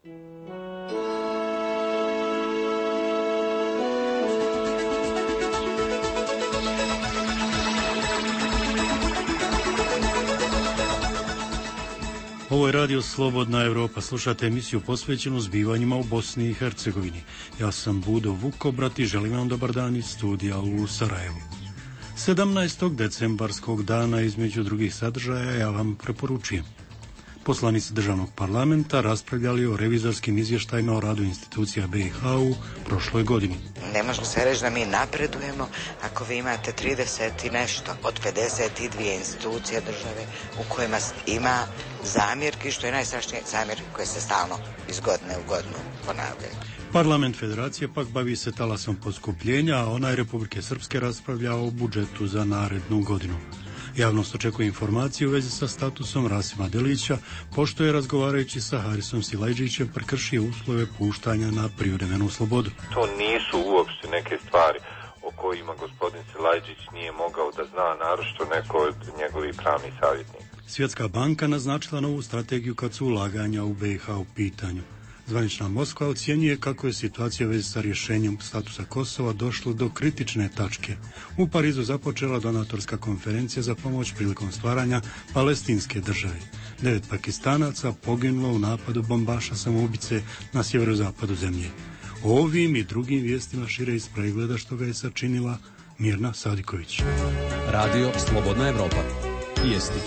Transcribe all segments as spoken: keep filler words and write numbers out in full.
Ovo je radio Slobodna Europa. Slušate emisiju posvećenu zbivanjima u Bosni i Hercegovini. Ja sam Budo Vukobrat i želim vam dobar dan iz studija u Sarajevu. sedamnaestog decembarskog dana između drugih sadržaja ja vam preporučujem. Poslanici državnog parlamenta raspravljali o revizorskim izvještajima o radu institucija be i ha u prošloj godini. Ne može se reći da mi napredujemo ako vi imate trideset i nešto od pedeset dvije institucije države u kojima ima zamjerki, što je najstrašnije, zamjerki koje se stalno iz godine u godinu ponavljaju. Parlament Federacije pak bavi se talasom poskupljenja, a onaj Republike Srpske raspravlja o budžetu za narednu godinu. Javnost očekuje informacije u vezi sa statusom Rasima Delića, pošto je razgovarajući sa Harisom Silajđićem prekršio uslove puštanja na privremenu slobodu. To nisu uopšte neke stvari o kojima gospodin Silajđić nije mogao da zna, naročito neko od njegovih pravnih savjetnika. Svjetska banka naznačila novu strategiju kad su ulaganja u be i ha u pitanju. Zvanična Moskva ocjenjuje kako je situacija u vezi sa rješenjem statusa Kosova došla do kritične tačke. U Parizu započela donatorska konferencija za pomoć prilikom stvaranja palestinske države. Devet Pakistanaca poginulo u napadu bombaša samoubice na sjeverozapadu zemlje. O ovim i drugim vijestima šire iz pregleda što ga je sačinila Mirna Sadiković. Radio Slobodna Europa. Vijesti.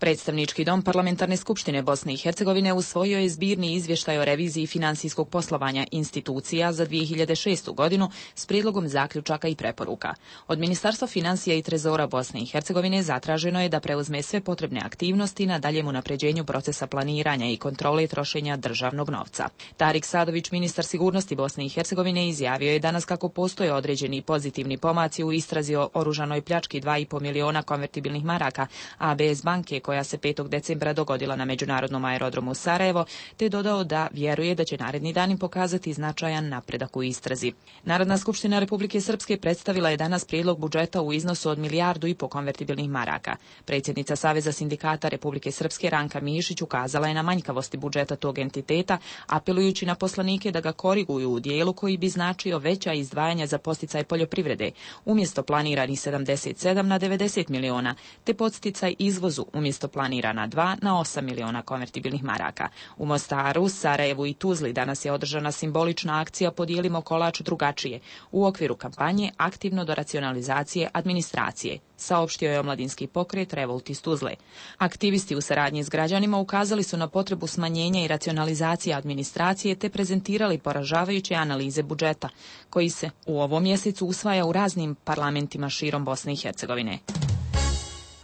Predstavnički dom Parlamentarne skupštine Bosne i Hercegovine usvojio je zbirni izvještaj o reviziji financijskog poslovanja institucija za dvije hiljade šestu godinu s prijedlogom zaključaka i preporuka. Od Ministarstva financija i trezora Bosne i Hercegovine zatraženo je da preuzme sve potrebne aktivnosti na daljem unapređenju procesa planiranja i kontrole trošenja državnog novca. Tarik Sadović, ministar sigurnosti Bosne i Hercegovine, izjavio je danas kako postoje određeni pozitivni pomaci u istrazi o oružanoj pljački dva i po miliona konvertibilnih maraka a be es banke koja se petog decembra dogodila na međunarodnom aerodromu Sarajevo, te dodao da vjeruje da će naredni dani pokazati značajan napredak u istrazi. Narodna skupština Republike Srpske predstavila je danas prijedlog budžeta u iznosu od milijardu i po konvertibilnih maraka. Predsjednica Saveza sindikata Republike Srpske Ranka Mišić ukazala je na manjkavosti budžeta tog entiteta, apelujući na poslanike da ga koriguju u dijelu koji bi značio veća izdvajanja za podsticaj poljoprivrede, umjesto planiranih sedamdeset sedam na devedeset miliona, te podsticaj izvozu umjesto planirana dva na osam miliona konvertibilnih maraka. U Mostaru, Sarajevu i Tuzli danas je održana simbolična akcija Podijelimo kolač drugačije u okviru kampanje Aktivno do racionalizacije administracije, saopštio je omladinski pokret Revolt iz Tuzle. Aktivisti u saradnji s građanima ukazali su na potrebu smanjenja i racionalizacije administracije te prezentirali poražavajuće analize budžeta, koji se u ovom mjesecu usvaja u raznim parlamentima širom Bosne i Hercegovine.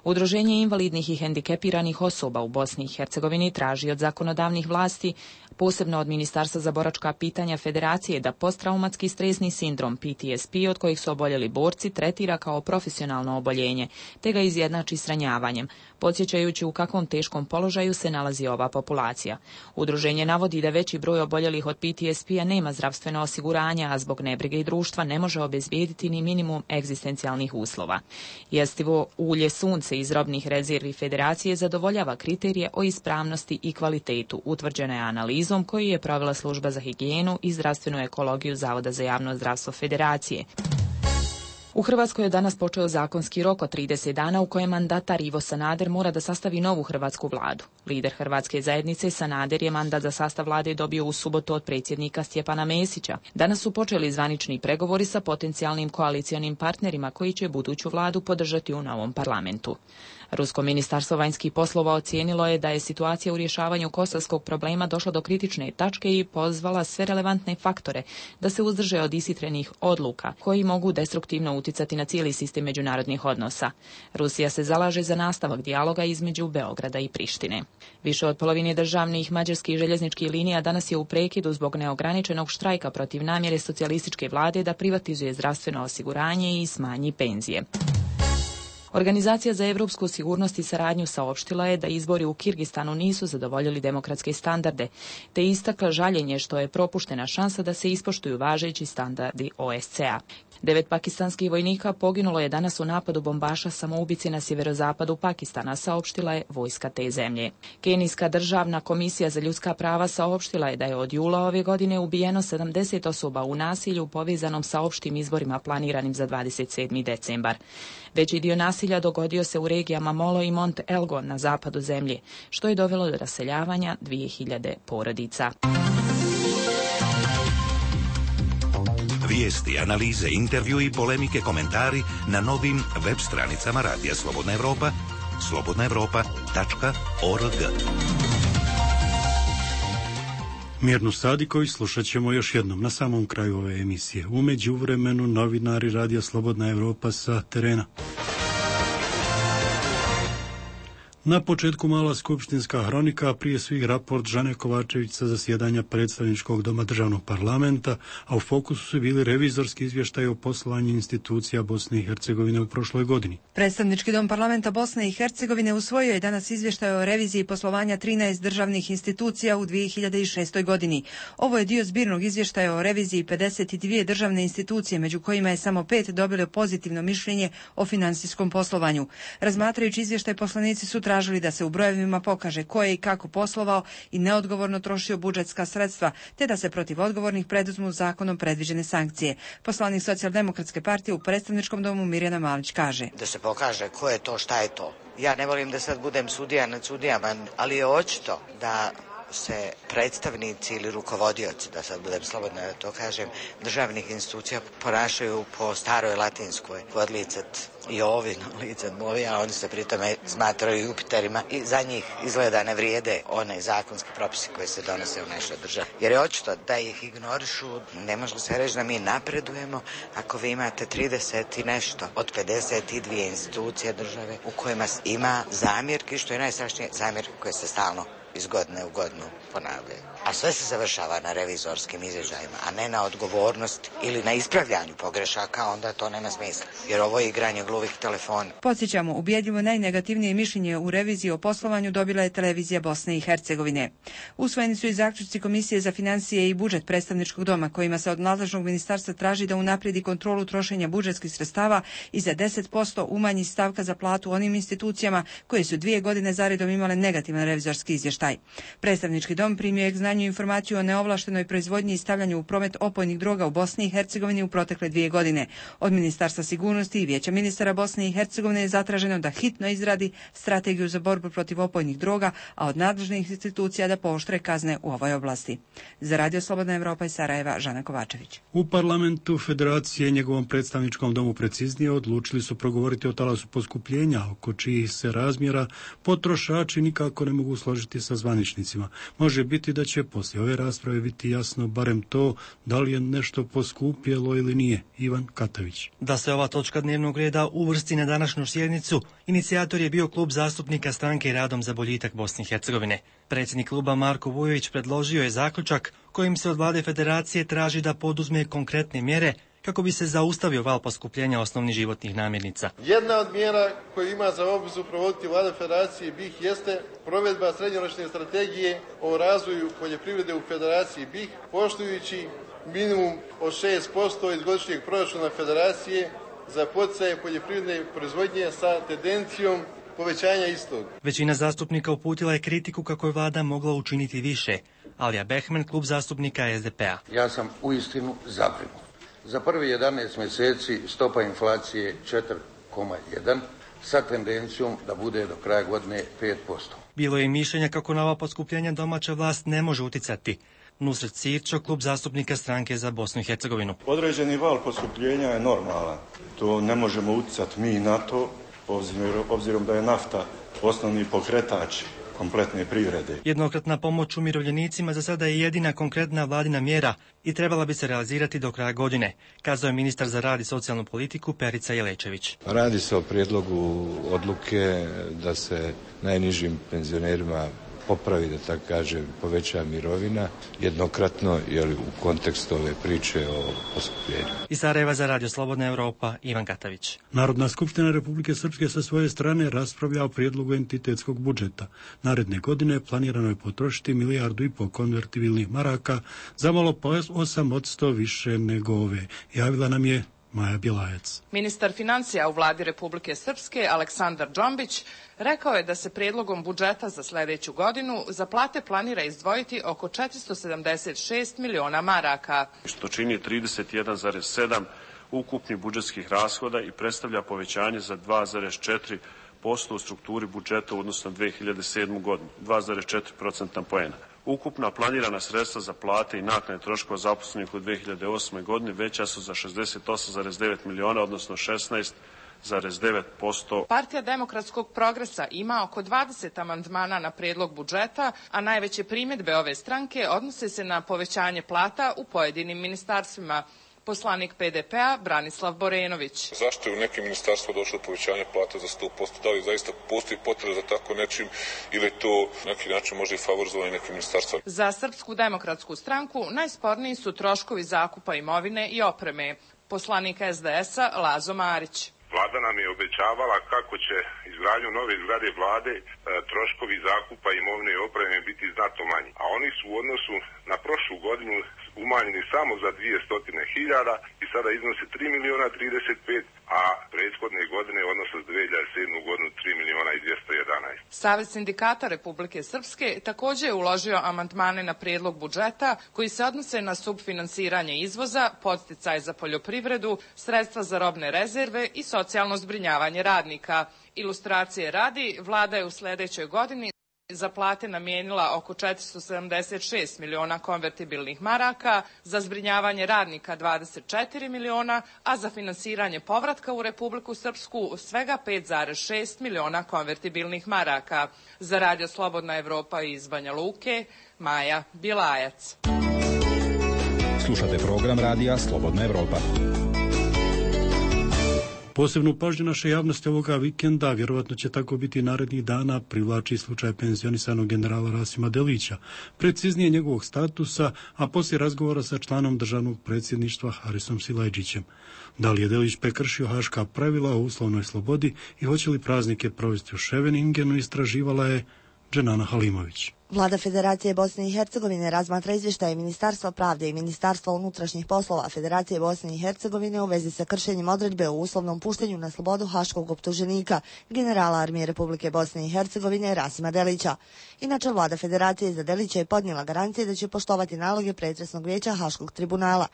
Udruženje invalidnih i hendikepiranih osoba u Bosni i Hercegovini traži od zakonodavnih vlasti, posebno od Ministarstva za boračka pitanja Federacije, da posttraumatski stresni sindrom P T S P od kojih su oboljeli borci tretira kao profesionalno oboljenje, te ga izjednači s ranjavanjem, podsjećajući u kakvom teškom položaju se nalazi ova populacija. Udruženje navodi da veći broj oboljelih od P T S P-a nema zdravstveno osiguranje, a zbog nebrige društva ne može obezbijediti ni minimum egzistencijalnih uslova. Jestivo ulje sunce iz robnih rezervi Federacije zadovoljava kriterije o ispravnosti i kvalitetu, utvrđena je analizom koju je provela Služba za higijenu i zdravstvenu ekologiju Zavoda za javno zdravstvo Federacije. U Hrvatskoj je danas počeo zakonski rok od trideset dana u kojem mandatar Ivo Sanader mora da sastavi novu hrvatsku vladu. Lider Hrvatske zajednice Sanader je mandat za sastav vlade dobio u subotu od predsjednika Stjepana Mesića. Danas su počeli zvanični pregovori sa potencijalnim koalicijonim partnerima koji će buduću vladu podržati u novom parlamentu. Rusko ministarstvo vanjskih poslova ocijenilo je da je situacija u rješavanju kosovskog problema došla do kritične tačke i pozvala sve relevantne faktore da se uzdrže od ishitrenih odluka koji mogu destruktivno utjecati na cijeli sistem međunarodnih odnosa. Rusija se zalaže za nastavak dijaloga između Beograda i Prištine. Više od polovine državnih mađarskih željezničkih linija danas je u prekidu zbog neograničenog štrajka protiv namjere socijalističke vlade da privatizuje zdravstveno osiguranje i smanji penzije. Organizacija za evropsku sigurnost i saradnju saopštila je da izbori u Kirgistanu nisu zadovoljili demokratske standarde, te istakla žaljenje što je propuštena šansa da se ispoštuju važeći standardi O S C A. Devet pakistanskih vojnika poginulo je danas u napadu bombaša samoubici na sjeverozapadu Pakistana, saopštila je vojska te zemlje. Kenijska državna komisija za ljudska prava saopštila je da je od jula ove godine ubijeno sedamdeset osoba u nasilju povezanom sa opštim izborima planiranim za dvadeset sedmi decembar. Veći dio nasilja dogodio se u regijama Molo i Mont Elgon na zapadu zemlje, što je dovelo do raseljavanja dvije hiljade porodica. Vijesti, analize, intervju i polemike, komentari na novim web stranicama Radija Slobodna Evropa, slobodna evropa tačka org. Mirnu Sadiković slušat ćemo još jednom na samom kraju ove emisije. U međuvremenu novinari Radija Slobodna Evropa sa terena. Na početku mala skupštinska hronika, a prije svih raport Žane Kovačević sa zasjedanja predstavničkog doma državnog parlamenta, a u fokusu su bili revizorski izvještaj o poslovanju institucija Bosne i Hercegovine u prošloj godini. Predstavnički dom parlamenta Bosne i Hercegovine usvojio je danas izvještaj o reviziji poslovanja trinaest državnih institucija u dvije hiljade šestoj godini. Ovo je dio zbirnog izvještaja o reviziji pedeset dvije državne institucije, među kojima je samo pet dobilo pozitivno mišljenje o finansijskom poslovanju. Razmatrajući izvještaj, poslanici su tražili da se u brojevima pokaže ko je i kako poslovao i neodgovorno trošio budžetska sredstva, te da se protiv odgovornih preduzmu zakonom predviđene sankcije. Poslanik Socijaldemokratske partije u predstavničkom domu Mirjana Malić kaže: Da se pokaže ko je to, šta je to. Ja ne volim da sad budem sudija nad sudijama, ali je očito da se predstavnici ili rukovodioci, da sad budem slobodna da to kažem, državnih institucija ponašaju po staroj latinskoj, kod licet i ovi, licet movi, a oni se pritome smatraju Jupiterima i za njih izgleda ne vrijede one zakonski propisi koji se donose u našoj državi. Jer je očito da ih ignorišu, ne može se reći da mi napredujemo ako vi imate trideset i nešto od pedeset dvije institucije države u kojima ima zamjerki, što je najstrašnije, zamjerki koje se stalno iz godine u godinu ponavljaju. A sve se završava na revizorskim izvještajima, a ne na odgovornosti ili na ispravljanju pogrešaka, onda to nema smisla. Jer ovo je igranje gluvih telefona. Podsjećamo, ubjedljivo najnegativnije mišljenje u reviziji o poslovanju dobila je televizija Bosne i Hercegovine. Usvojeni su i zaključci Komisije za financije i budžet predstavničkog doma, kojima se od nadležnog ministarstva traži da unaprijedi kontrolu trošenja budžetskih sredstava i za deset posto umanji stavka za platu onim institucijama koje su dvije godine zaredom imale negativan revizorski izvještaj. Predstavnički dom primio je k znanju informaciju o neovlaštenoj proizvodnji i stavljanju u promet opojnih droga u Bosni i Hercegovini u protekle dvije godine. Od Ministarstva sigurnosti i Vijeća ministara Bosne i Hercegovine je zatraženo da hitno izradi strategiju za borbu protiv opojnih droga, a od nadležnih institucija da pooštre kazne u ovoj oblasti. Za Radio Slobodna Evropa iz Sarajeva, Žana Kovačević. U parlamentu Federacije i njegovom predstavničkom domu preciznije odlučili su progovoriti o talasu poskupljenja, oko čijih se razmjera potrošači nikako ne mogu složiti sa zvaničnicima. Može biti da će poslije ove rasprave biti jasno barem to da li je nešto poskupjelo ili nije. Ivan Katavić. Da se ova točka dnevnog reda uvrsti na današnju sjednicu, inicijator je bio klub zastupnika Stranke Radom za boljitak Bosne i Hercegovine. Predsjednik kluba Marko Vujović predložio je zaključak kojim se od vlade Federacije traži da poduzme konkretne mjere kako bi se zaustavio val poskupljenja osnovnih životnih namirnica. Jedna od mjera koju ima za obvezu provoditi vlada Federacije B i H jeste provedba srednjoročne strategije o razvoju poljoprivrede u Federaciji B i H, poštujući minimum od šest posto iz godišnjeg proračuna Federacije za poticaje poljoprivredne proizvodnje sa tendencijom povećanja istog. Većina zastupnika uputila je kritiku kako je vlada mogla učiniti više. Alija Behmen, klub zastupnika S D P-a. Ja sam uistinu zabrinut. Za prvi jedanaest mjeseci stopa inflacije četiri zarez jedan sa tendencijom da bude do kraja godine pet posto. Bilo je i mišljenja kako na ova poskupljenja domaća vlast ne može uticati. Nusret Sirčo, klub zastupnika Stranke za Bosnu i Hercegovinu. Određeni val poskupljenja je normalan. To ne možemo uticati mi na to, obzirom da je nafta osnovni pokretač kompletne privrede. Jednokratna pomoć umirovljenicima za sada je jedina konkretna vladina mjera i trebala bi se realizirati do kraja godine, kazao je ministar za rad i socijalnu politiku Perica Jelečević. Radi se o prijedlogu odluke da se najnižim penzionerima popravi, da tako kažem, poveća mirovina jednokratno, jer u kontekstu ove priče o poskupljenju. Iz Sarajeva za Radio Slobodna Evropa, Ivan Gatavić. Narodna skupština Republike Srpske sa svoje strane raspravlja o prijedlogu entitetskog budžeta. Naredne godine planirano je potrošiti milijardu i pol konvertibilnih maraka, za malo po osam odsto više nego ove. Javila nam je Maja Bjelajac. Ministar financija u vladi Republike Srpske Aleksandar Džombić rekao je da se prijedlogom budžeta za sljedeću godinu za plate planira izdvojiti oko četiristo sedamdeset šest miliona maraka. Što čini trideset jedan zarez sedam ukupnih budžetskih rashoda i predstavlja povećanje za dva zarez četiri posto u strukturi budžeta u odnosu na dve hiljade sedmu godinu, dva zarez četiri procentna poena. Ukupna planirana sredstva za plate i naknade troškova zaposlenih u dve hiljade osmoj godini veća su za šezdeset osam zarez devet miliona, odnosno šesnaest zarez devet posto. Partija demokratskog progresa ima oko dvadeset amandmana na prijedlog budžeta, a najveće primjedbe ove stranke odnose se na povećanje plata u pojedinim ministarstvima. Poslanik P D P-a Branislav Borenović. Zašto je u nekim ministarstva došlo povećanje plata za sto posto? Da li zaista postoji potreba za tako nečim ili to neki način može i favorizovati neke ministarstva? Za Srpsku demokratsku stranku najsporniji su troškovi zakupa imovine i opreme. Poslanik S D S-a Lazo Marić. Vlada nam je obećavala kako će izgradnju nove zgrade vlade e, troškovi zakupa imovine i opreme biti znatno manji. A oni su u odnosu na prošlu godinu umanjeni samo za dvjesto hiljada i sada iznose tri miliona trideset pet, a prethodne godine, odnosno za dve hiljade sedmu godinu, tri miliona i dvjesto jedanaest. Savez sindikata Republike Srpske također je uložio amandmane na prijedlog budžeta koji se odnose na subfinansiranje izvoza, podsticaj za poljoprivredu, sredstva za robne rezerve i socijalno zbrinjavanje radnika. Ilustracije radi, vlada je u sljedećoj godini za plate namijenila oko četiristo sedamdeset šest miliona konvertibilnih maraka, za zbrinjavanje radnika dvadeset četiri miliona, a za finansiranje povratka u Republiku Srpsku svega pet zarez šest miliona konvertibilnih maraka. Za Radio Slobodna Evropa iz Banja Luke, Maja Bjelajac. Slušate program Radija Slobodna Evropa. Posebnu pažnju naše javnosti ovoga vikenda, vjerovatno će tako biti narednih dana, privlači slučaj penzionisanog generala Rasima Delića, preciznije njegovog statusa, a poslije razgovora sa članom državnog predsjedništva Harisom Silajdžićem. Da li je Delić prekršio haška pravila o uslovnoj slobodi i hoće li praznike provesti u Ševeningenu, istraživala je Dženana Halimović. Vlada Federacije Bosne i Hercegovine razmatra izvještaje Ministarstva pravde i Ministarstva unutrašnjih poslova Federacije Bosne i Hercegovine u vezi sa kršenjem odredbe o uslovnom puštenju na slobodu haškog optuženika, generala armije Republike Bosne i Hercegovine Rasima Delića. Inače, Vlada Federacije za Delića je podnijela garancije da će poštovati naloge pretresnog vijeća Haškog tribunala.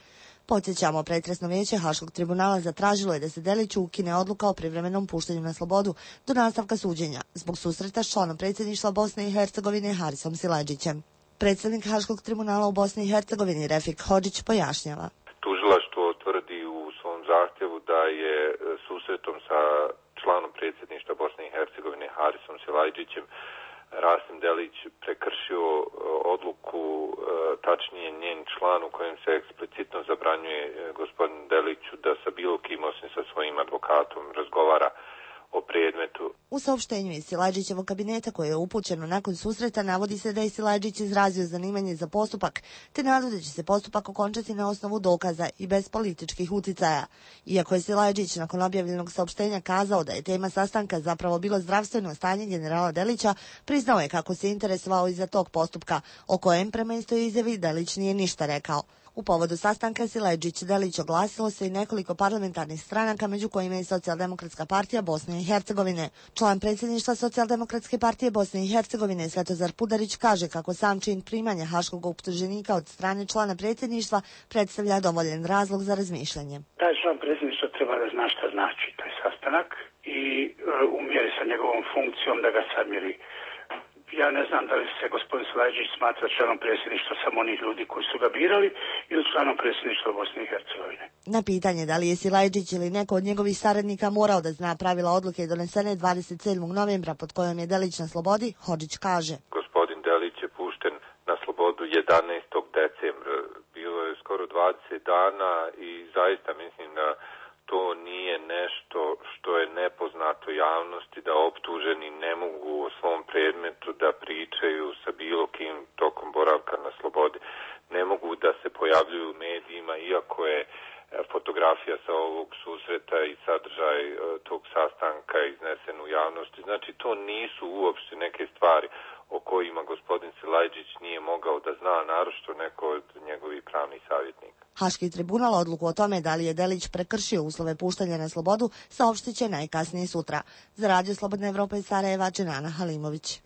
Podsjećamo, pretresno vijeće Haškog tribunala zatražilo je da se Deliću ukine odluka o privremenom puštenju na slobodu do nastavka suđenja, zbog susreta s članom predsjedništva Bosne i Hercegovine Harisom Silajdžićem. Predstavnik Haškog tribunala u Bosni i Hercegovini Refik Hodžić pojašnjava. Tužilaštvo tvrdi u svom zahtjevu da je susretom sa članom predsjedništva Bosne i Hercegovine Harisom Silajdžićem Rasim Delić prekršio odluku, tačnije njen član u kojem se eksplicitno zabranjuje gospodin Deliću da sa bilo kim osim sa svojim advokatom razgovara o predmetu. U saopštenju iz Silajdžićevog kabineta koje je upućeno nakon susreta navodi se da je Silajdžić izrazio zanimanje za postupak, te nadu da će se postupak okončati na osnovu dokaza i bez političkih uticaja. Iako je Silajdžić nakon objavljenog saopštenja kazao da je tema sastanka zapravo bilo zdravstveno stanje generala Delića, priznao je kako se interesovao i za tog postupka, o kojem prema istoj izjavi Delić nije ništa rekao. U povodu sastanka Silajdžić Delić oglasilo se i nekoliko parlamentarnih stranaka, među kojima je Socijaldemokratska partija Bosne i Hercegovine. Član predsjedništva Socijaldemokratske partije Bosne i Hercegovine Svetozar Pudarić kaže kako sam čin primanja haškog optuženika od strane člana predsjedništva predstavlja dovoljan razlog za razmišljanje. Taj član predsjedništva treba da zna šta znači taj sastanak i u mjeri sa njegovom funkcijom da ga samiri. Ja ne znam da li se gospodin Silajdžić smatra članom predsjedništva samo onih ljudi koji su ga birali ili članom predsjedništva Bosne i Hercegovine. Na pitanje da li je Silajdžić ili neko od njegovih saradnika morao da zna pravila odluke donesene dvadeset sedmog novembra pod kojom je Delić na slobodi, Hodžić kaže. Gospodin Delić je pušten na slobodu jedanaestog decembra. Bilo je skoro dvadeset dana i zaista mislim da to nije nešto što je nepoznato javnosti, da optuženi ne mogu o svom predmetu da pričaju sa bilo kim tokom boravka na slobodi. Ne mogu da se pojavljuju u medijima, iako je fotografija sa ovog susreta i sadržaj tog sastanka iznesen u javnosti. Znači, to nisu uopšte neke stvari o kojima gospodin Silajđić nije mogao da zna, naročito neko od njegovih pravnih savjetnika. Haški tribunal odluku o tome da li je Delić prekršio uslove puštanja na slobodu saopštit će najkasnije sutra. Za Radio Slobodna Evropa iz Sarajeva, Dženana Halimović.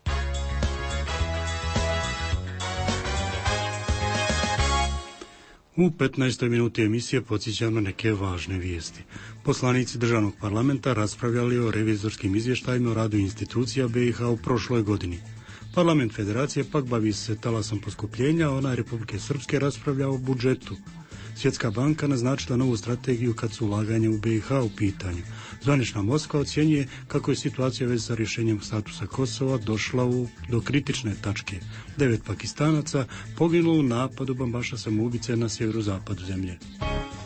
U petnaestoj minuti emisije podsjećam na neke važne vijesti. Poslanici državnog parlamenta raspravljali o revizorskim izvještajima o radu institucija B i H u prošloj godini. Parlament Federacije pak bavi se talasom poskupljenja, a ona Republike Srpske raspravlja o budžetu. Svjetska banka naznačila novu strategiju kad su ulaganja u B i H u pitanju. Zvanična Moskva ocjenjuje kako je situacija već sa rješenjem statusa Kosova došla u, do kritične tačke. Devet Pakistanaca poginulo u napadu bombaša samoubice na sjeverozapadu zemlje.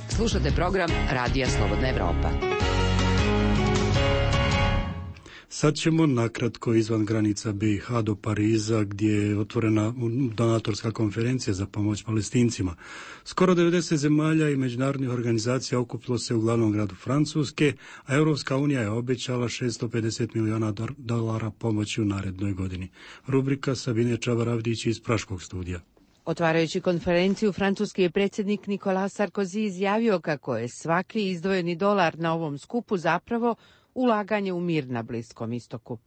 Slušate program Radija Slobodna Evropa. Sad ćemo nakratko izvan granica B i H do Pariza, gdje je otvorena donatorska konferencija za pomoć Palestincima. Skoro devedeset zemalja i međunarodnih organizacija okupilo se u glavnom gradu Francuske, a Europska unija je obećala šesto pedeset miliona dolara pomoći u narednoj godini. Rubrika Sabine Čabaravdić iz Praškog studija. Otvarajući konferenciju, francuski je predsjednik Nicolas Sarkozy izjavio kako je svaki izdvojeni dolar na ovom skupu zapravo ulaganje u mir na Bliskom istoku.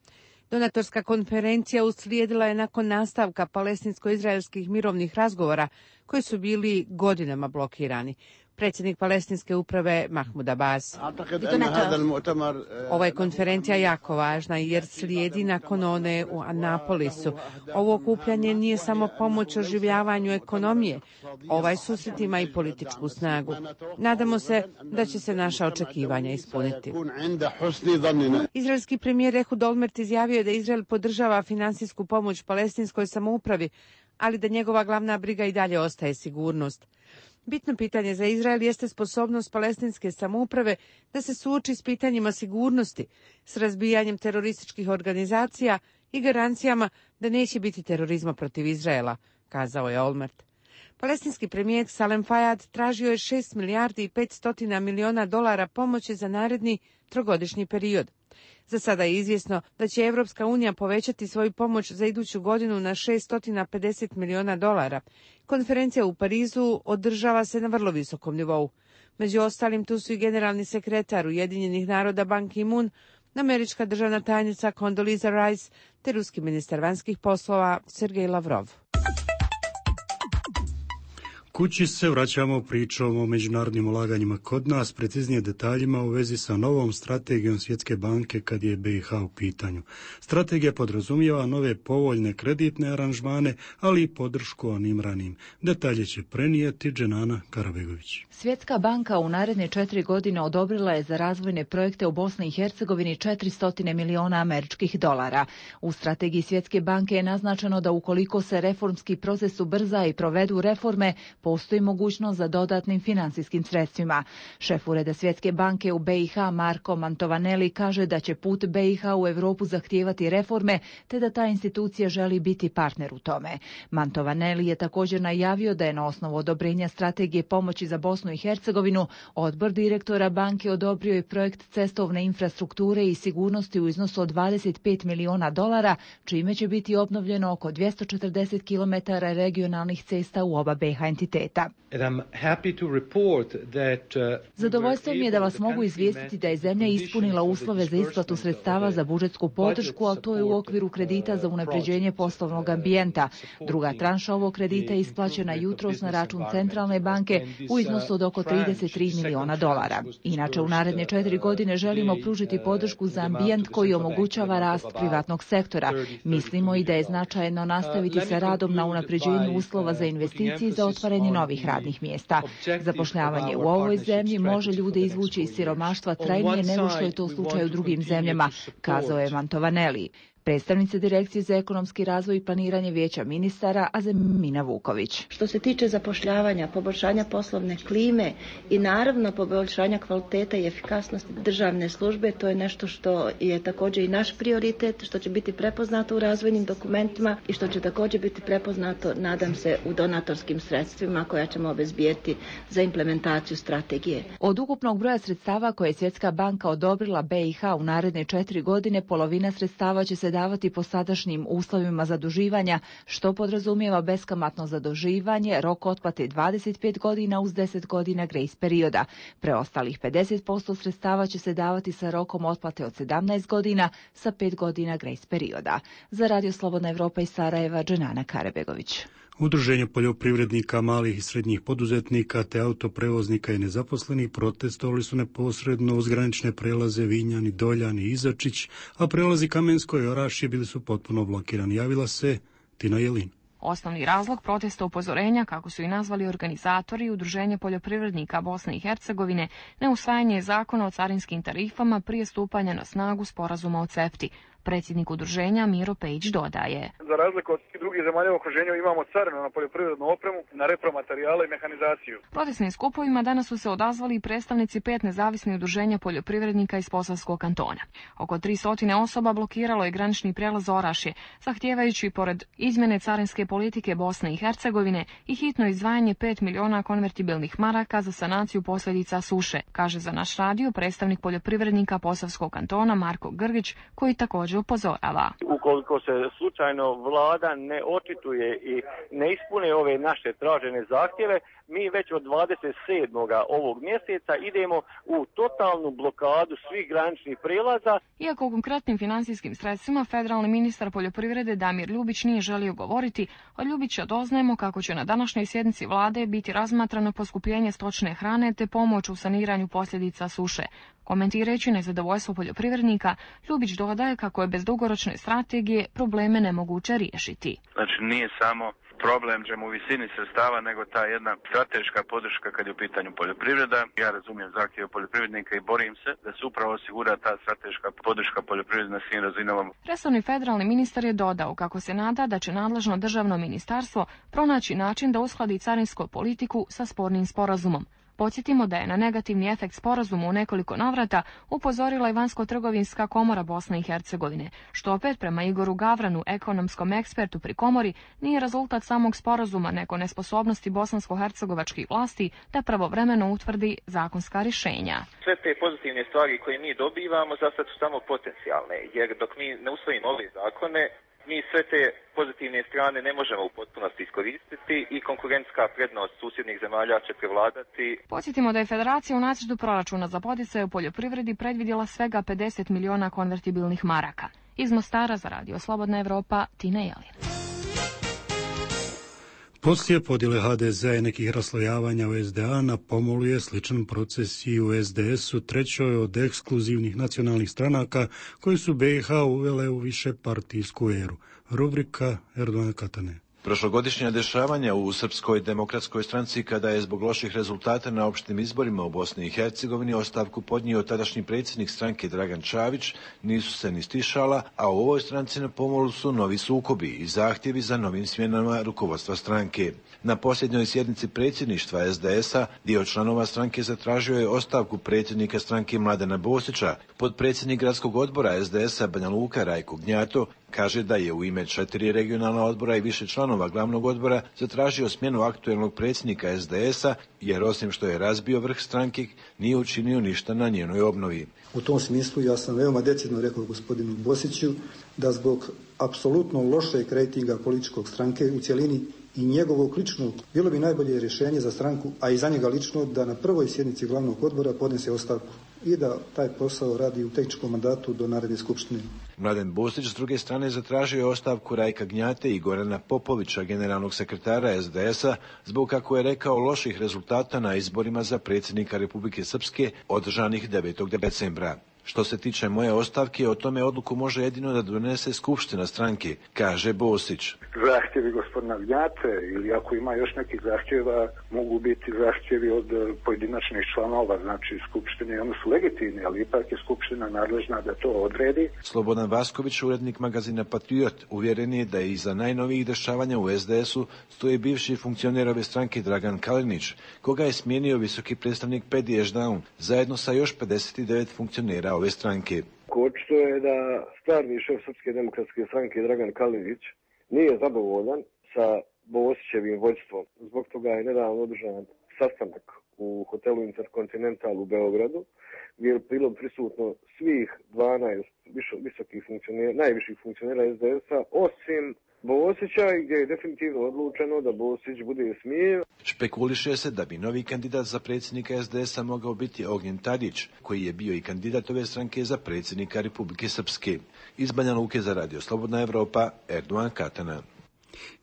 Donatorska konferencija uslijedila je nakon nastavka palestinsko-izraelskih mirovnih razgovora koji su bili godinama blokirani. Predsjednik palestinske uprave Mahmud Abbas. Ova je konferencija jako važna jer slijedi nakon one u Anapolisu. Ovo okupljanje nije samo pomoć oživljavanju ekonomije. Ovaj susret ima i političku snagu. Nadamo se da će se naša očekivanja ispuniti. Izraelski premijer Ehud Olmert izjavio je da Izrael podržava finansijsku pomoć palestinskoj samoupravi, ali da njegova glavna briga i dalje ostaje sigurnost. Bitno pitanje za Izrael jeste sposobnost palestinske samouprave da se suoči s pitanjima sigurnosti, s razbijanjem terorističkih organizacija i garancijama da neće biti terorizma protiv Izraela, kazao je Olmert. Palestinski premijer Salem Fayyad tražio je šest milijardi i petsto miliona dolara pomoći za naredni trogodišnji period. Za sada je izvjesno da će Evropska unija povećati svoju pomoć za iduću godinu na šesto pedeset miliona dolara. Konferencija u Parizu održava se na vrlo visokom nivou. Među ostalim tu su i generalni sekretar Ujedinjenih naroda Ban Ki-moon, američka državna tajnica Condoleezza Rice te ruski ministar vanjskih poslova Sergej Lavrov. Kući se vraćamo pričom o međunarodnim ulaganjima kod nas, preciznije detaljima u vezi sa novom strategijom Svjetske banke kad je B i H u pitanju. Strategija podrazumijeva nove povoljne kreditne aranžmane, ali i podršku onim ranim. Detalje će prenijeti Dženana Karabegović. Svjetska banka u naredne četiri godine odobrila je za razvojne projekte u Bosni i Hercegovini četiristo miliona američkih dolara. U strategiji Svjetske banke je naznačeno da ukoliko se reformski proces ubrza i provedu reforme, postoji mogućnost za dodatnim finansijskim sredstvima. Šef ureda Svjetske banke u B i H Marko Mantovaneli kaže da će put B i H u Europu zahtijevati reforme, te da ta institucija želi biti partner u tome. Mantovaneli je također najavio da je na osnovu odobrenja strategije pomoći za Bosnu i Hercegovinu odbor direktora banke odobrio i projekt cestovne infrastrukture i sigurnosti u iznosu od dvadeset pet miliona dolara, čime će biti obnovljeno oko dvjesto četrdeset kilometara regionalnih cesta u oba B i H entiteta. Zadovoljstvo mi je da vas mogu izvijestiti da je zemlja ispunila uslove za isplatu sredstava za budžetsku podršku, ali to je u okviru kredita za unapređenje poslovnog ambijenta. Druga tranša ovog kredita je isplaćena jutros na račun Centralne banke u iznosu od oko trideset tri miliona dolara. Inače, u naredne četiri godine želimo pružiti podršku za ambijent koji omogućava rast privatnog sektora. Mislimo i da je značajno nastaviti sa radom na unapređenju uslova za investicije i za otvaranje novih radnih mjesta. Zapošljavanje u ovoj zemlji može ljude izvući iz siromaštva trajnije nego što je to slučaj u drugim zemljama, kazao je Mantovaneli. Predstavnica Direkcije za ekonomski razvoj i planiranje Vijeća ministara Azemina Vuković. Što se tiče zapošljavanja, poboljšanja poslovne klime i naravno poboljšanja kvalitete i efikasnosti državne službe, to je nešto što je također i naš prioritet, što će biti prepoznato u razvojnim dokumentima i što će također biti prepoznato, nadam se, u donatorskim sredstvima koja ćemo obezbijeti za implementaciju strategije. Od ukupnog broja sredstava koje je Svjetska banka odobrila B i H u naredne četiri godine, polovina sredstava će se davati po sadašnjim uslovima zaduživanja, što podrazumijeva beskamatno zaduživanje, rok otplate dvadeset pet godina uz deset godina grace perioda. Preostalih pedeset posto sredstava će se davati sa rokom otplate od sedamnaest godina sa pet godina grace perioda. Za Radio Slobodna Evropa iz Sarajeva, Dženana Karebegović. Udruženje poljoprivrednika, malih i srednjih poduzetnika te autoprevoznika i nezaposlenih protestovali su neposredno uz granične prelaze Vinjani, Doljani i Izačić, a prelazi Kamensko i Orašje bili su potpuno blokirani. Javila se Tina Jelin. Osnovni razlog protesta upozorenja, kako su i nazvali organizatori, Udruženje poljoprivrednika Bosne i Hercegovine, neusvajanje zakona o carinskim tarifama prije stupanja na snagu sporazuma o CEFTI. Predsjednik udruženja Miro Pejić dodaje. Za razliku od drugih zemalja u okruženju imamo carinu na poljoprivrednu opremu, na repromaterijale i mehanizaciju. Protestnim skupovima danas su se odazvali i predstavnici pet nezavisnih udruženja poljoprivrednika iz Posavskog kantona. Oko tri stotine osoba blokiralo je granični prijelaz Orašje, zahtijevajući pored izmjene carinske politike Bosne i Hercegovine i hitno izdvajanje pet miliona konvertibilnih maraka za sanaciju posljedica suše, kaže za naš radio predstavnik poljoprivrednika Posavskog kantona Marko Grgić, koji također upozorava. Ukoliko se slučajno vlada ne očituje i ne ispune ove naše tražene zahtjeve, mi već od dvadeset sedmog ovog mjeseca idemo u totalnu blokadu svih graničnih prijelaza. Iako o konkretnim financijskim sredstvima federalni ministar poljoprivrede Damir Ljubić nije želio govoriti, od Ljubića doznajemo kako će na današnjoj sjednici vlade biti razmatrano poskupljenje stočne hrane te pomoć u saniranju posljedica suše. Komentirajući nezadovoljstvo poljoprivrednika, Ljubić dodaje kako je bez dugoročne strategije probleme nemoguće riješiti. Znači nije samo problem u visini sredstava, nego ta jedna strateška podrška kad je u pitanju poljoprivreda. Ja razumijem zahtjeve poljoprivrednika i borim se da se upravo osigura ta strateška podrška poljoprivrede na svim razinama. Resorni federalni ministar je dodao kako se nada da će nadležno državno ministarstvo pronaći način da uskladi carinsku politiku sa spornim sporazumom. Podsjetimo da je na negativni efekt sporazuma u nekoliko navrata upozorila i Vanjsko-trgovinska komora Bosne i Hercegovine, što opet prema Igoru Gavranu, ekonomskom ekspertu pri komori, nije rezultat samog sporazuma, nego nesposobnosti bosansko-hercegovačkih vlasti da pravovremeno utvrdi zakonska rješenja. Sve te pozitivne stvari koje mi dobivamo za sad su samo potencijalne, jer dok mi ne usvojimo ove zakone, mi sve te pozitivne strane ne možemo u potpunosti iskoristiti i konkurentska prednost susjednih zemalja će prevladati. Podsjetimo da je Federacija u nacrtu proračuna za poticaje u poljoprivredi predvidjela svega pedeset miliona konvertibilnih maraka. Iz Mostara za Radio Slobodna Evropa, Tina Jelin. Poslije podjele ha de ze i nekih raslojavanja u es de a na pomolu je sličan proces i u es de esu, trećoj od ekskluzivnih nacionalnih stranaka koji su be i ha uvele u višepartijsku eru. Rubrika Erdogan Katane. Prošlogodišnja dešavanja u Srpskoj demokratskoj stranci, kada je zbog loših rezultata na opštim izborima u Bosni i Hercegovini ostavku podnio tadašnji predsjednik stranke Dragan Čavić, nisu se ni stišala, a u ovoj stranci na pomolu su novi sukobi i zahtjevi za novim smjenama rukovodstva stranke. Na posljednjoj sjednici predsjedništva es de esa dio članova stranke zatražio je ostavku predsjednika stranke Mladena Bosića. Potpredsjednik gradskog odbora es de esa Banja Luka Rajko Gnjato kaže da je u ime četiri regionalna odbora i više članova glavnog odbora zatražio smjenu aktuelnog predsjednika es de esa, jer osim što je razbio vrh stranke, nije učinio ništa na njenoj obnovi. U tom smislu ja sam veoma decidno rekao gospodinu Bosiću da zbog apsolutno lošeg rejtinga političkog stranke u cjelini i njegovog ličnog, bilo bi najbolje rješenje za stranku, a i za njega lično, da na prvoj sjednici glavnog odbora podnese ostavku i da taj posao radi u tehničkom mandatu do naredne skupštine. Mladen Bosić s druge strane zatražio je ostavku Rajka Gnjate i Gorana Popovića, generalnog sekretara es de esa, zbog, kako je rekao, loših rezultata na izborima za predsjednika Republike Srpske održanih devetog decembra. Što se tiče moje ostavke, o tome odluku može jedino da donese skupština stranke, kaže Bosić. Zahtjevi gospodina Gnjate ili ako ima još nekih zahtjeva, mogu biti zahtjevi od pojedinačnih članova, znači skupštine, oni su legitimni, ali ipak je skupština nadležna da to odredi. Slobodan Vasković, urednik magazina Patriot, uvjeren je da je iza najnovijih dešavanja u es de esu stoji bivši funkcioner ove stranke Dragan Kalinić, koga je smijenio visoki predstavnik Pedi Ešdaun, zajedno sa još pedeset devet funkcionera ove stranke. Očito je da stvarni šef Srpske demokratske stranke Dragan Kalinić nije zadovoljan sa Bosićevim vođstvom. Zbog toga je nedavno održan sastanak u hotelu Intercontinental u Beogradu, gdje je bilo prisutno svih dvanaest visokih funkcionera, najviših funkcionera es de esa, osim Bosića, gdje je definitivno odlučeno da Bosić bude smijen. Špekuliše se da bi novi kandidat za predsjednika es de esa mogao biti Ognjen Tadić, koji je bio i kandidat ove stranke za predsjednika Republike Srpske. Iz Banja Luke za Radio Slobodna Evropa, Erdogan Katana.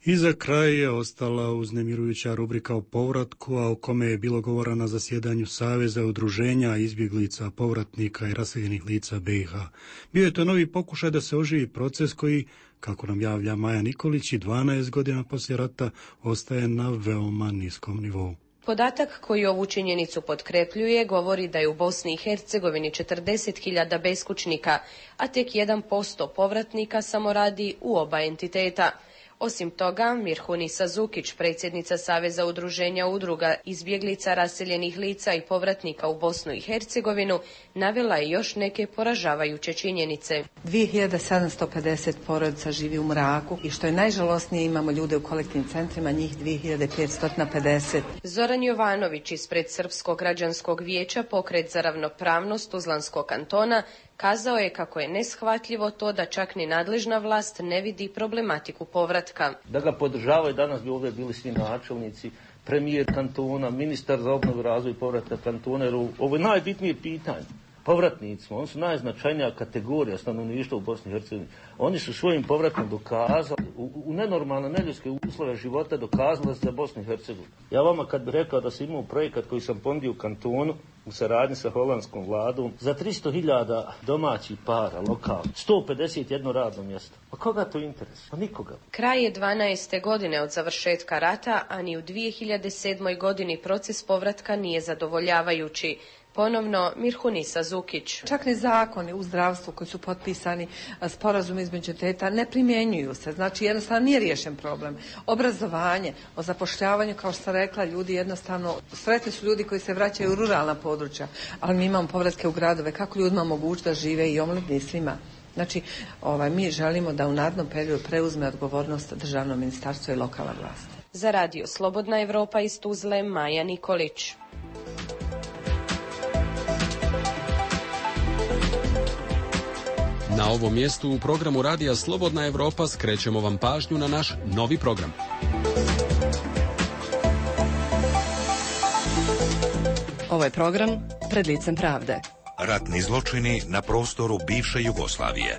I za kraj je ostala uznemirujuća rubrika o povratku, a o kome je bilo govora na zasjedanju Saveza udruženja izbjeglica, povratnika i raseljenih lica be i ha. Bio je to novi pokušaj da se oživi proces koji, kako nam javlja Maja Nikolić, i dvanaest godina poslije rata ostaje na veoma niskom nivou. Podatak koji ovu činjenicu potkrepljuje govori da je u Bosni i Hercegovini četrdeset hiljada beskućnika, a tek jedan posto povratnika samo radi u oba entiteta. Osim toga, Mirhunisa Zukić, predsjednica Saveza udruženja udruga izbjeglica, raseljenih lica i povratnika u Bosnu i Hercegovinu, navela je još neke poražavajuće činjenice. dvije hiljade sedamsto pedeset porodica živi u mraku i što je najžalosnije, imamo ljude u kolektivnim centrima, njih dvije hiljade petsto pedeset. Zoran Jovanović ispred Srpskog građanskog vijeća, pokret za ravnopravnost Tuzlanskog kantona, kazao je kako je neshvatljivo to da čak ni nadležna vlast ne vidi problematiku povratka. Da ga podržavaju, danas bi ovdje bili svi načelnici, premijer kantona, ministar za obnovu i razvoj povratka kantona, jer ovo je najbitnije pitanje. Povratnicima, oni su najznačajnija kategorija stanovništva u Bosni i Hercegovini. Oni su svojim povratkom dokazali, u, u nenormalne, neljudske uslove života dokazali za Bosnu i Hercegovinu. Ja vama kad bih rekao da sam imao projekat koji sam ponudio u kantonu, u saradnji sa holandskom vladom, za tristo hiljada domaćih para, lokalno, sto pedeset jedno radno mjesto. Pa koga to interesuje? Pa nikoga. Kraj je dvanaeste godine od završetka rata, a ni u dvije hiljade sedmoj godini proces povratka nije zadovoljavajući. Ponovno Mirhunisa Zukić. Čak ni zakoni u zdravstvu koji su potpisani, sporazum između entiteta, ne primjenjuju se. Znači jednostavno nije riješen problem. Obrazovanje, o zapošljavanju, kao što sam rekla, ljudi jednostavno, sretni su ljudi koji se vraćaju u ruralna područja, ali mi imamo povratke u gradove. Kako ljudima mogući da žive i omladni svima? Znači, ovaj, mi želimo da u narednom periodu preuzme odgovornost državno ministarstvo i lokalna vlast. Za Radio Slobodna Evropa iz Tuzle, Maja Nikolić. Na ovom mjestu u programu Radija Slobodna Evropa skrećemo vam pažnju na naš novi program. Ovo je program Pred licem pravde. Ratni zločini na prostoru bivše Jugoslavije.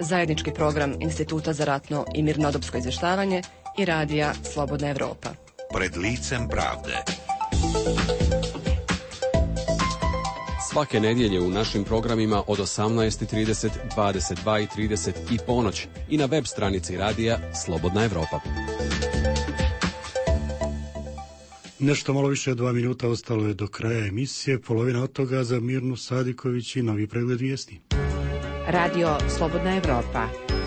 Zajednički program Instituta za ratno i mirnodopsko izvještavanje i Radija Slobodna Evropa. Pred licem pravde. Svake nedjelje u našim programima od osamnaest i trideset, dvadeset dva i trideset i ponoć i na web stranici Radija Slobodna Evropa. Nešto malo više od dva minuta ostalo je do kraja emisije, polovina od toga za Mirnu Sadiković i novi pregled vijesti. Radio Slobodna Evropa.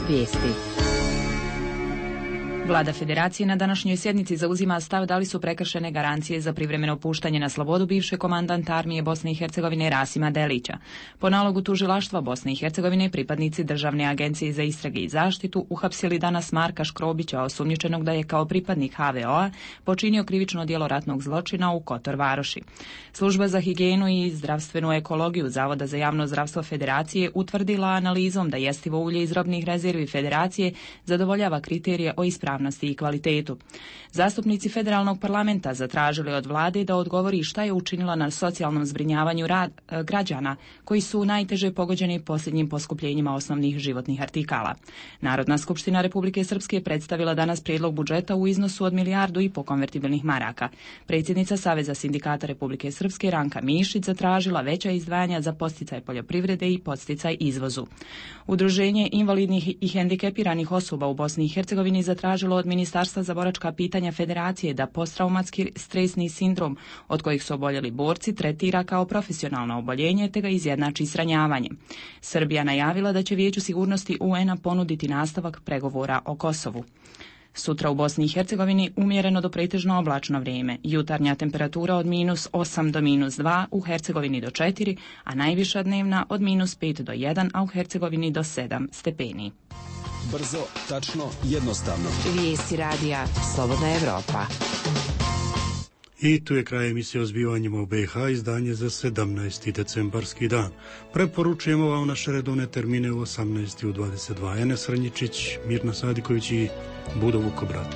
Vijesti. Vlada Federacije na današnjoj sjednici zauzima stav da li su prekršene garancije za privremeno puštanje na slobodu bivše komandanta armije Bosne i Hercegovine Rasima Delića. Po nalogu tužilaštva Bosne i Hercegovine pripadnici Državne agencije za istrage i zaštitu uhapsili danas Marka Škrobića, osumnjičenog da je kao pripadnik ha ve o-a počinio krivično djelo ratnog zločina u Kotor Varoši. Služba za higijenu i zdravstvenu ekologiju Zavoda za javno zdravstvo Federacije utvrdila analizom da jestivo ulje iz robnih rezervi Federacije zadovoljava kriterije o ispravnosti ispravnosti i kvalitetu. Zastupnici federalnog parlamenta zatražili od vlade da odgovori šta je učinila na socijalnom zbrinjavanju rad, građana koji su najteže pogođeni posljednjim poskupljenjima osnovnih životnih artikala. Narodna skupština Republike Srpske predstavila danas prijedlog budžeta u iznosu od milijardu i po konvertibilnih maraka. Predsjednica Saveza sindikata Republike Srpske Ranka Mišić zatražila veća izdvajanja za podsticaj poljoprivrede i podsticaj izvozu. Udruženje invalidnih i hendikepiranih osoba u Bosni i Hercegovini zatražilo od Ministarstva za boračka pitanja Federacije da posttraumatski stresni sindrom od kojih su oboljeli borci tretira kao profesionalno oboljenje te ga izjednači s ranjavanjem. Srbija najavila da će Vijeću sigurnosti U N-a ponuditi nastavak pregovora o Kosovu. Sutra u Bosni i Hercegovini umjereno do pretežno oblačno vrijeme. Jutarnja temperatura od minus osam do minus dva, u Hercegovini do četiri, a najviša dnevna od minus pet do jedan, a u Hercegovini do sedam stepeni. Brzo, tačno, jednostavno. Vijesti radija Slobodna Evropa. I tu je kraj emisije o zbivanjima u B iH, izdanje za sedamnaesti decembarski dan. Preporučujemo vam naše redovne termine u osamnaest i u dvadeset dva. Enes Rnjičić, Mirna Sadiković i Budo Vukobrat.